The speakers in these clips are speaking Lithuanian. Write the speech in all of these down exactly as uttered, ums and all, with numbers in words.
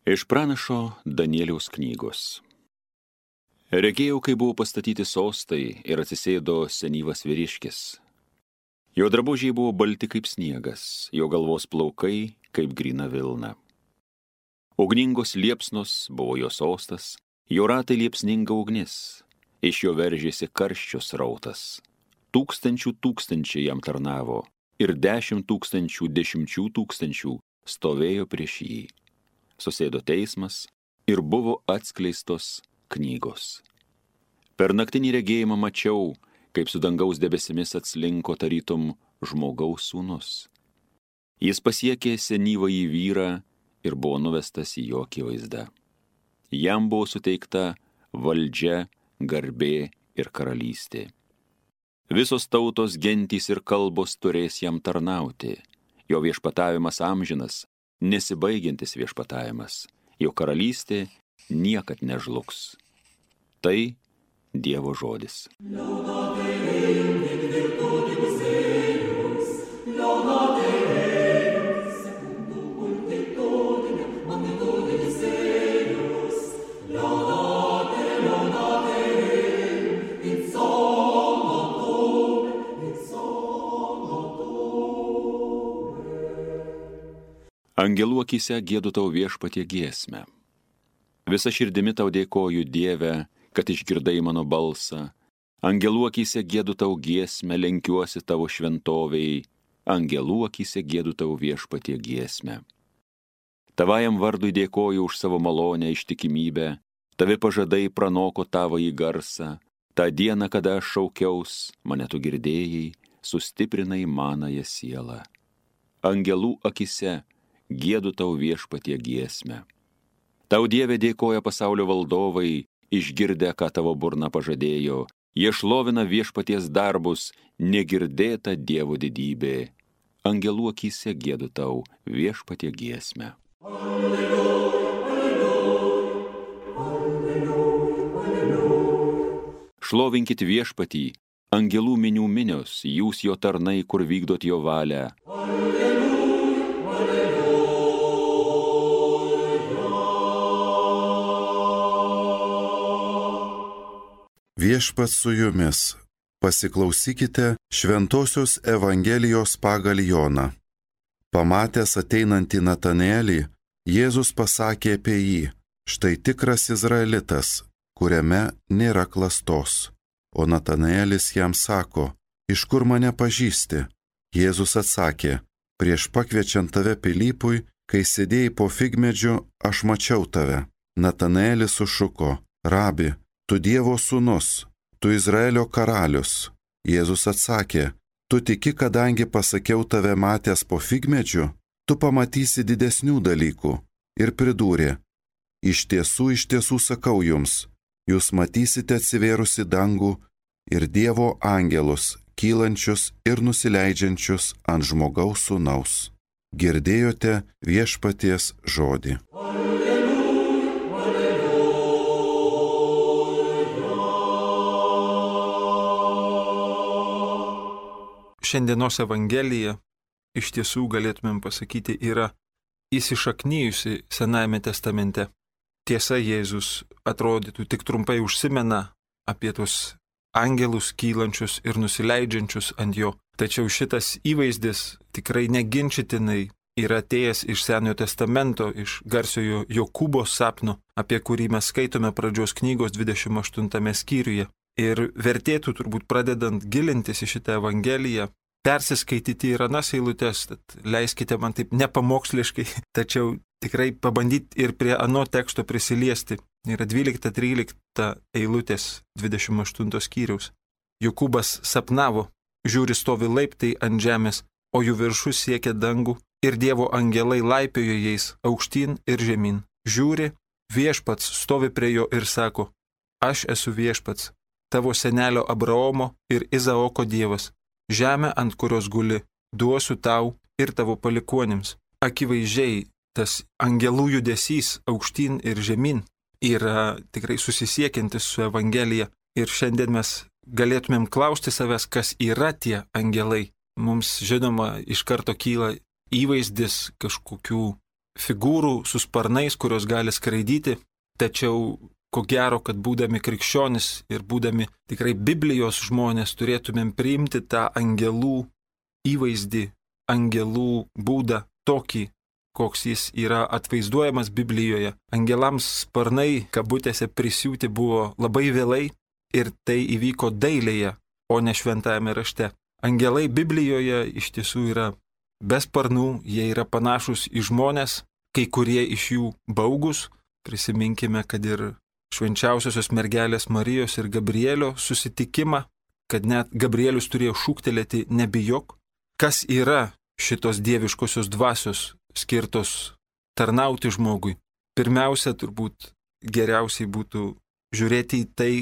Iš pranašo Danieliaus knygos. Regėjau, kai buvo pastatyti sostai ir atsisėdo senyvas vyriškis. Jo drabužiai buvo balti kaip sniegas, jo galvos plaukai kaip gryna vilna. Ugningos liepsnos buvo jo sostas, jo ratai liepsninga ugnis, iš jo veržėsi karščio srautas. Tūkstančių tūkstančiai jam tarnavo ir dešimt tūkstančių dešimčių tūkstančių stovėjo prieš jį. Susėdo teismas ir buvo atskleistos knygos. Per naktinį regėjimą mačiau, kaip su dangaus debesimis atslinko tarytum žmogaus sūnus. Jis pasiekė senyvąjį vyrą ir buvo nuvestas į jo akivaizdą. Jam buvo suteikta valdžia, garbė ir karalystė. Visos tautos, gentys ir kalbos turės jam tarnauti. Jo viešpatavimas amžinas, nesibaigiantis viešpatavimas. Jo karalystė niekad nežlugs. Tai Dievo žodis. Angelų akyse giedu tau viešpatie giesmę. Visa širdimi tau dėkoju, Dieve, kad išgirdai mano balsą. Angelų akyse giedu tau giesmę, lenkiuosi tavo šventovei. Angelų akyse giedu tau viešpatie giesmę. Tavajam vardui dėkoju už savo malonę ištikimybę. Tavi pažadai pranoko tavąjį garsą. Ta diena, kada aš šaukiaus, mane tu girdėjai, sustiprinai manąją sielą. Angelų akyse giedu tau viešpatie giesmę. Tau, Dieve, dėkoja pasaulio valdovai, išgirdę, ką tavo burna pažadėjo. Jie šlovina viešpaties darbus, negirdėta Dievo didybė. Angelų akyse giedu tau viešpatie giesmę. Alleluja, alleluja, alleluja, alleluja. Šlovinkit viešpatį, angelų minių minios, jūs jo tarnai, kur vykdot jo valią. Alleluja, alleluja. Viešpats su jumis, pasiklausykite Šventosios Evangelijos pagal Joną. Pamatęs ateinantį Natanėlį, Jėzus pasakė apie jį: štai tikras Izraelitas, kuriame nėra klastos. O Natanėlis jam sako: iš kur mane pažįsti? Jėzus atsakė: prieš pakviečiant tave Pilypui, kai sėdėjai po figmedžiu, aš mačiau tave. Natanėlis sušuko: rabi, tu Dievo sūnus, tu Izraelio karalius. Jėzus atsakė: tu tiki, kadangi pasakiau tave matęs po figmedžiu, tu pamatysi didesnių dalykų. Ir pridūrė: iš tiesų, iš tiesų sakau jums, jūs matysite atsivėrusi dangų ir Dievo angelus, kylančius ir nusileidžiančius ant žmogaus sūnaus. Girdėjote viešpaties žodį. Šiandienos Evangelija, iš tiesų galėtumėm pasakyti, yra įsišaknyjusi Senajame testamente. Tiesa, Jėzus atrodytų tik trumpai užsimena apie tus angelus kylančius ir nusileidžiančius ant jo. Tačiau šitas įvaizdis tikrai neginčitinai yra atėjęs iš Senojo testamento, iš garsiojo Jokūbo sapno, apie kurį mes skaitome pradžios knygos dvidešimt aštuntame skyriuje. Ir vertėtų turbūt pradedant gilintis į šitą Evangeliją, persiskaityti ir anas eilutes, tad leiskite man taip nepamoksliškai, tačiau tikrai pabandyti ir prie ano teksto prisiliesti. Yra dvylikta trylikta eilutės dvidešimt aštunto skyriaus. Jokūbas sapnavo, žiūri stovi laiptai ant žemės, o jų viršus siekia dangų, ir Dievo angelai laipiojo jais aukštyn ir žemyn. Žiūri, viešpats stovi prie jo ir sako: aš esu viešpats, tavo senelio Abraomo ir Izaoko Dievas. Žemę, ant kurios guli, duosiu tau ir tavo palikuonims. Akivaizdžiai tas angelų judesys aukštyn ir žemyn yra tikrai susisiekiantis su Evangelija. Ir šiandien mes galėtumėm klausti savęs, kas yra tie angelai. Mums, žinoma, iš karto kyla įvaizdis kažkokių figūrų su sparnais, kurios gali skraidyti, tačiau ko gero, kad būdami krikščionis ir būdami tikrai Biblijos žmonės turėtumėm priimti tą angelų įvaizdį, angelų būdą tokį, koks jis yra atvaizduojamas Biblijoje. Angelams sparnai, kabutėse, prisiūti buvo labai vėlai ir tai įvyko dailėje, o ne šventajame rašte. Angelai Biblijoje iš tiesų yra be sparnų, jie yra panašus į žmonės, kai kurie iš jų baugus. Prisiminkime, kad ir švenčiausiosios mergelės Marijos ir Gabrielio susitikimą, kad net Gabrielius turėjo šūktelėti nebijok. Kas yra šitos dieviškosios dvasios skirtos tarnauti žmogui? Pirmiausia, turbūt geriausiai būtų žiūrėti į tai,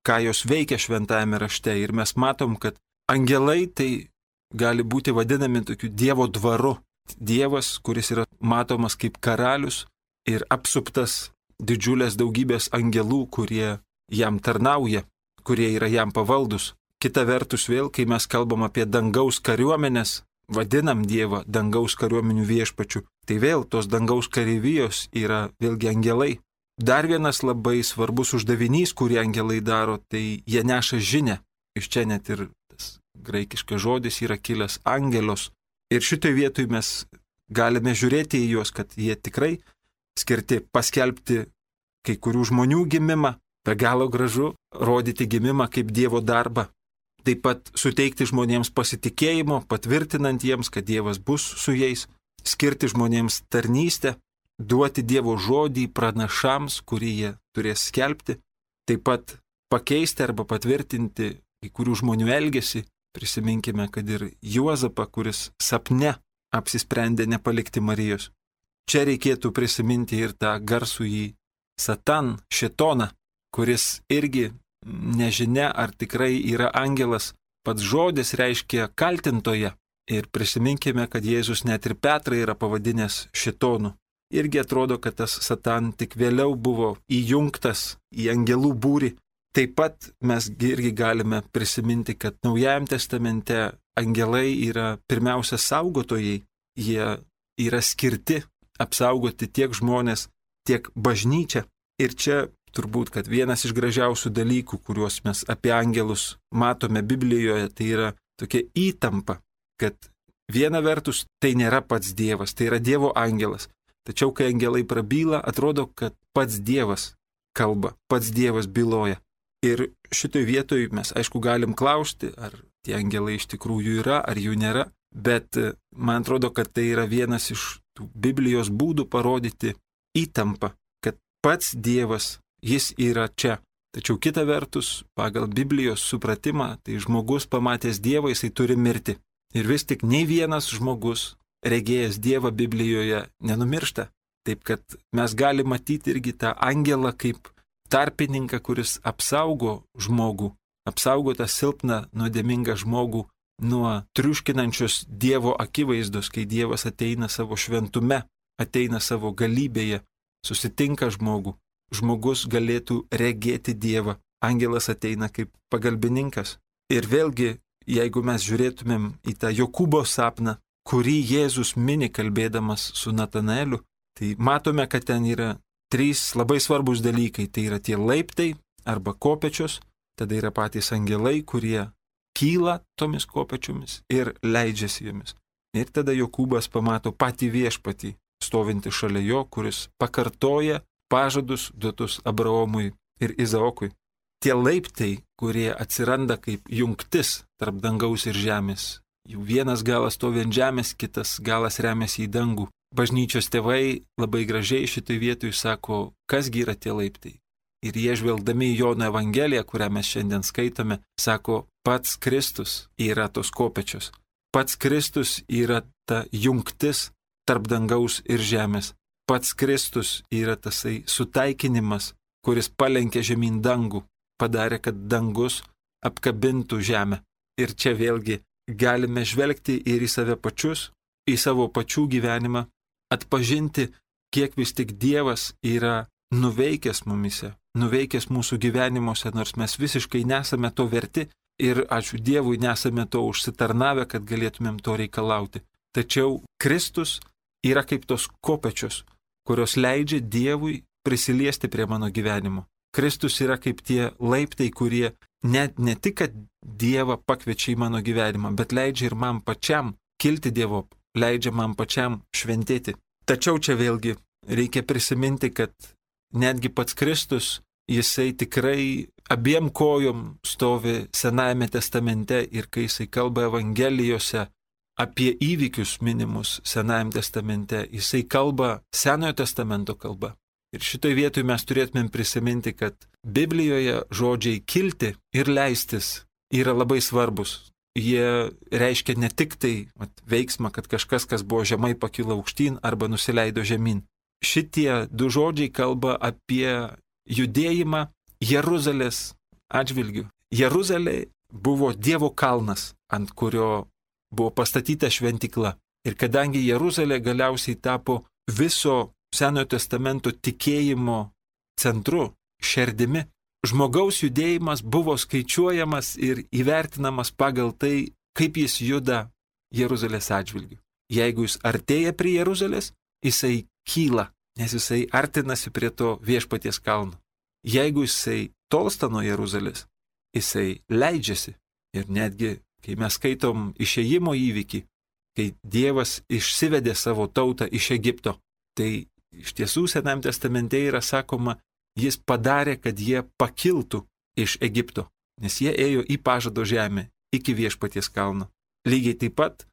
ką jos veikia šventajame rašte. Ir mes matom, kad angelai tai gali būti vadinami tokiu Dievo dvaru. Dievas, kuris yra matomas kaip karalius ir apsuptas didžiulės daugybės angelų, kurie jam tarnauja, kurie yra jam pavaldus. Kita vertus vėl, kai mes kalbam apie dangaus kariuomenės, vadinam Dievą dangaus kariuomenių viešpačiu, tai vėl tos dangaus kareivijos yra vėlgi angelai. Dar vienas labai svarbus uždavinys, kurį angelai daro, tai jie neša žinią. Iš čia net ir tas graikiškas žodis yra kilęs angelos. Ir šitoj vietoj mes galime žiūrėti į juos, kad jie tikrai skirti paskelbti kai kurių žmonių gimimą, be galo gražu, rodyti gimimą kaip Dievo darbą. Taip pat suteikti žmonėms pasitikėjimo, patvirtinant jiems, kad Dievas bus su jais, skirti žmonėms tarnystę, duoti Dievo žodį pranašams, kurį jie turės skelbti, taip pat pakeisti arba patvirtinti kai kurių žmonių elgesį. Prisiminkime, kad ir Juozapą, kuris sapne apsisprendė nepalikti Marijos. Čia reikėtų prisiminti ir tą garsųjį Satan, šėtoną, kuris irgi nežinia, ar tikrai yra angelas. Pats žodis reiškia kaltintoje. Ir prisiminkime, kad Jėzus net ir Petrą yra pavadinęs šėtonu. Irgi atrodo, kad tas Satan tik vėliau buvo įjungtas į angelų būrį. Taip pat mes irgi galime prisiminti, kad Naujajame testamente angelai yra pirmiausia saugotojai. Jie yra skirti apsaugoti tiek žmonės, tiek bažnyčią. Ir čia turbūt, kad vienas iš gražiausių dalykų, kuriuos mes apie angelus matome Biblijoje, tai yra tokia įtampa, kad viena vertus tai nėra pats Dievas, tai yra Dievo angelas. Tačiau, kai angelai prabyla, atrodo, kad pats Dievas kalba, pats Dievas byloja. Ir šitoj vietoj mes, aišku, galim klausti, ar tie angelai iš tikrųjų yra, ar jų nėra, bet man atrodo, kad tai yra vienas iš tų Biblijos būdų parodyti įtampą, kad pats Dievas, jis yra čia. Tačiau kita vertus, pagal Biblijos supratimą, tai žmogus pamatęs Dievą, jisai turi mirti. Ir vis tik nei vienas žmogus, regėjęs Dievą Biblijoje, nenumiršta. Taip kad mes galime matyti irgi tą angelą kaip tarpininką, kuris apsaugo žmogų, apsaugo tą silpną, nuodėmingą žmogų nuo triuškinančios Dievo akivaizdos, kai Dievas ateina savo šventume, ateina savo galybėje, susitinka žmogų. Žmogus galėtų regėti Dievą. Angelas ateina kaip pagalbininkas. Ir vėlgi, jeigu mes žiūrėtumėm į tą Jokūbo sapną, kurį Jėzus mini kalbėdamas su Natanaeliu, tai matome, kad ten yra trys labai svarbus dalykai. Tai yra tie laiptai arba kopečios, tada yra patys angelai, kurie kyla tomis kopečiomis ir leidžiasi jomis. Ir tada Jokūbas pamato patį viešpatį, stovintį šalia jo, kuris pakartoja pažadus duotus Abraomui ir Izaokui. Tie laiptai, kurie atsiranda kaip jungtis tarp dangaus ir žemės. Jų vienas galas stovi ant žemės, kitas galas remiasi į dangų. Bažnyčios tėvai labai gražiai šitai vietoj sako, kasgi yra tie laiptai. Ir jie žvelgdami į Jono Evangeliją, kurią mes šiandien skaitome, sako, pats Kristus yra tos kopečios. Pats Kristus yra ta jungtis tarp dangaus ir žemės. Pats Kristus yra tasai sutaikinimas, kuris palenkė žemyn dangų, padarė, kad dangus apkabintų žemę. Ir čia vėlgi galime žvelgti ir į save pačius, į savo pačių gyvenimą, atpažinti, kiek vis tik Dievas yra nuveikęs mumise, nuveikęs mūsų gyvenimuose, nors mes visiškai nesame to verti ir ačiū Dievui nesame to užsitarnavę, kad galėtumėm to reikalauti. Tačiau Kristus yra kaip tos kopečios, kurios leidžia Dievui prisiliesti prie mano gyvenimo. Kristus yra kaip tie laiptai, kurie net ne tik, kad Dievą pakviečia į mano gyvenimą, bet leidžia ir man pačiam kilti Dievo, leidžia man pačiam šventėti. Tačiau čia vėlgi reikia prisiminti, kad netgi pats Kristus, jisai tikrai abiem kojom stovi Senajame testamente ir kai jisai kalba Evangelijose apie įvykius minimus Senajame testamente, jisai kalba Senojo testamento kalba. Ir šitoj vietoj mes turėtumėm prisiminti, kad Biblijoje žodžiai kilti ir leistis yra labai svarbus. Jie reiškia ne tik tai at, veiksmą, kad kažkas, kas buvo žemai, pakilo aukštyn arba nusileido žemyn. Šitie du žodžiai kalba apie judėjimą Jeruzalės atžvilgių. Jeruzalė buvo Dievo kalnas, ant kurio buvo pastatyta šventykla. Ir kadangi Jeruzalė galiausiai tapo viso Senojo testamento tikėjimo centru, šerdimi, žmogaus judėjimas buvo skaičiuojamas ir įvertinamas pagal tai, kaip jis juda Jeruzalės atžvilgių. Jeigu jis artėja prie Jeruzalės, jisai kyla, nes jisai artinasi prie to viešpaties kalno. Jeigu jisai tolsta nuo Jeruzalės, jisai leidžiasi. Ir netgi, kai mes skaitom išėjimo įvykį, kai Dievas išsivedė savo tautą iš Egipto, tai iš tiesų Senajame testamente yra sakoma, jis padarė, kad jie pakiltų iš Egipto, nes jie ėjo į pažado žemę iki viešpaties kalno. Lygiai taip pat,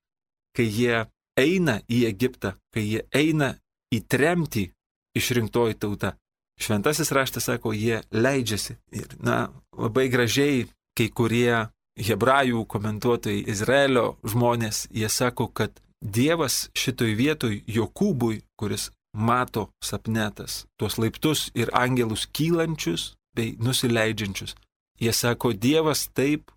kai jie eina į Egiptą, kai jie eina į tremtį išrinktoji tauta, šventasis raštas sako, jie leidžiasi. Ir, na, labai gražiai kai kurie hebrajų komentuotojai, Izraelio žmonės, jie sako, kad Dievas šitoj vietoj Jokūbui, kuris mato sapnetas tuos laiptus ir angelus kylančius bei nusileidžiančius. Jie sako, Dievas taip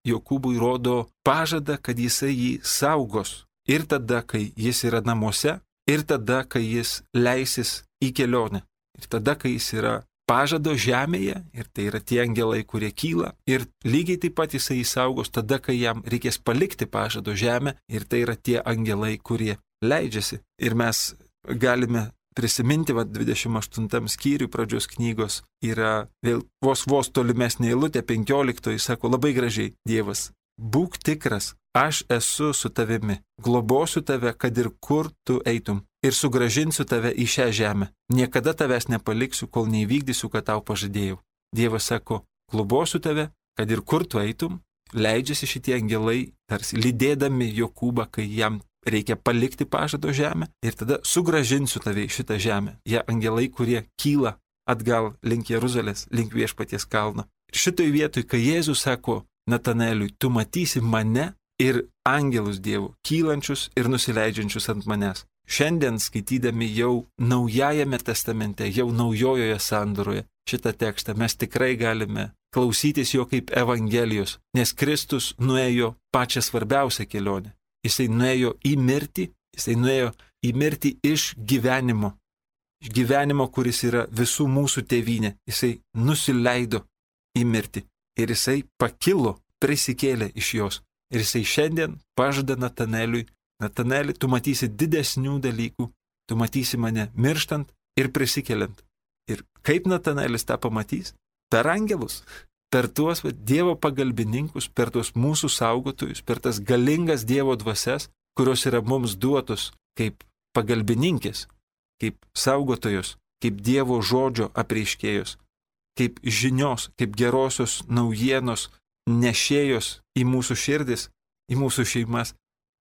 Jokūbui rodo pažadą, kad jisai jį saugos. Ir tada, kai jis yra namuose, ir tada, kai jis leisis į kelionę. Ir tada, kai jis yra pažado žemėje, ir tai yra tie angelai, kurie kyla. Ir lygiai taip pat jisai jį saugos tada, kai jam reikės palikti pažado žemę, ir tai yra tie angelai, kurie leidžiasi. Ir mes galime prisiminti, va, dvidešimt aštuntam skyriui pradžios knygos yra vėl vos vos tolimesnė eilutė, penkioliktoji, sako labai gražiai Dievas, būk tikras, aš esu su tavimi, globosiu tave, kad ir kur tu eitum, ir sugrąžinsiu tave į šią žemę. Niekada tavęs nepaliksiu, kol neįvykdysiu, ką tau pažadėjau. Dievas sako, globosiu tave, kad ir kur tu eitum, leidžiasi šitie angelai, tarsi lydėdami Jokūbą, kai jam reikia palikti pažado žemę, ir tada sugrąžinsiu tave į šitą žemę. Jie angelai, kurie kyla atgal link Jeruzalės, link viešpaties kalno. Šitoj vietoj, kai Jėzus sako Natanaeliui, tu matysi mane ir angelus Dievų, kylančius ir nusileidžiančius ant manęs. Šiandien skaitydami jau Naujajame testamente, jau Naujojoje sandoroje šitą tekstą, mes tikrai galime klausytis jo kaip Evangelijos, nes Kristus nuėjo pačią svarbiausią kelionę. Jisai nuėjo į mirtį, jisai nuėjo į mirtį iš gyvenimo. Iš gyvenimo, kuris yra visų mūsų tėvynė. Jisai nusileido į mirtį. Ir jisai pakilo, prisikėlė iš jos. Ir jisai šiandien pažada Natanaeliui, Natanaeli, tu matysi didesnių dalykų, tu matysi mane mirštant ir prisikeliant. Ir kaip Natanaelis tą pamatys? Per angelus. Per tuos va, Dievo pagalbininkus, per tuos mūsų saugotojus, per tas galingas Dievo dvasias, kurios yra mums duotos kaip pagalbininkės, kaip saugotojos, kaip Dievo žodžio apreiškėjos, kaip žinios, kaip gerosios naujienos nešėjos į mūsų širdis, į mūsų šeimas,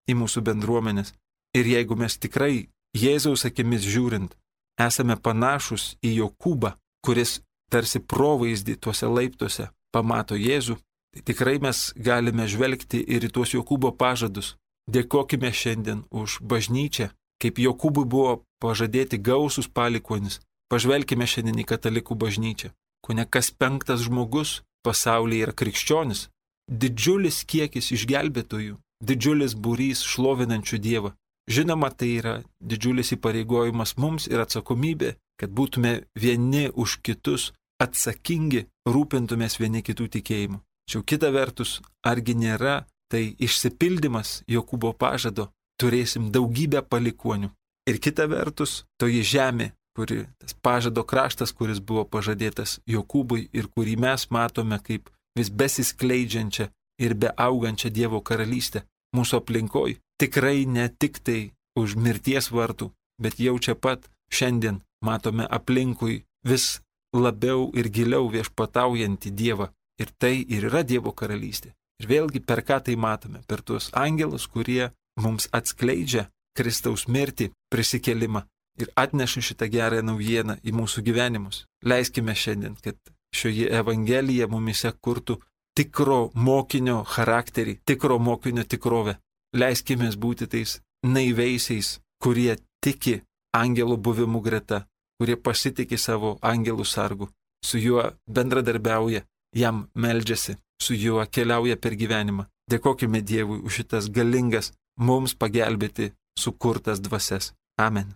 į mūsų bendruomenės. Ir jeigu mes tikrai Jėzaus akimis žiūrint, esame panašus į Jokūbą, kuris tarsi provaizdį tuose laiptuose pamato Jėzų, tai tikrai mes galime žvelgti ir į tuos Jokūbo pažadus. Dėkokime šiandien už bažnyčią, kaip Jokūbui buvo pažadėti gausus palikuonis. Pažvelkime šiandien į katalikų bažnyčią. Kone kas penktas žmogus pasaulyje yra krikščionis. Didžiulis kiekis išgelbėtojų, didžiulis būrys šlovinančių Dievą. Žinoma, tai yra didžiulis įpareigojimas mums ir atsakomybė, kad būtume vieni už kitus atsakingi, rūpintumės vieni kitų tikėjimu. Tačiau kita vertus, argi nėra tai išsipildymas Jokūbo pažado, turėsim daugybę palikuonių. Ir kita vertus, toji žemė, kuri, tas pažado kraštas, kuris buvo pažadėtas Jokūbui ir kurį mes matome kaip vis besiskleidžiančią ir beaugančią Dievo karalystę mūsų aplinkoj, tikrai ne tik tai už mirties vartų, bet jau čia pat šiandien matome aplinkui vis labiau ir giliau viešpataujantį Dievą. Ir tai ir yra Dievo karalystė. Ir vėlgi per ką tai matome? Per tuos angelus, kurie mums atskleidžia Kristaus mirtį, prisikelimą ir atneša šitą gerą naujieną į mūsų gyvenimus. Leiskime šiandien, kad šioje Evangelija mumise kurtų tikro mokinio charakterį, tikro mokinio tikrovę. Leiskime būti tais naiveisiais, kurie tiki angelo buvimu greta, kurie pasitikė savo angelų sargu, su juo bendradarbiauja, jam meldžiasi, su juo keliauja per gyvenimą. Dėkokime Dievui už šitas galingas mums pagelbėti sukurtas dvasias. Amen.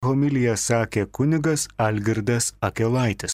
Homiliją sakė kunigas Algirdas Akelaitis.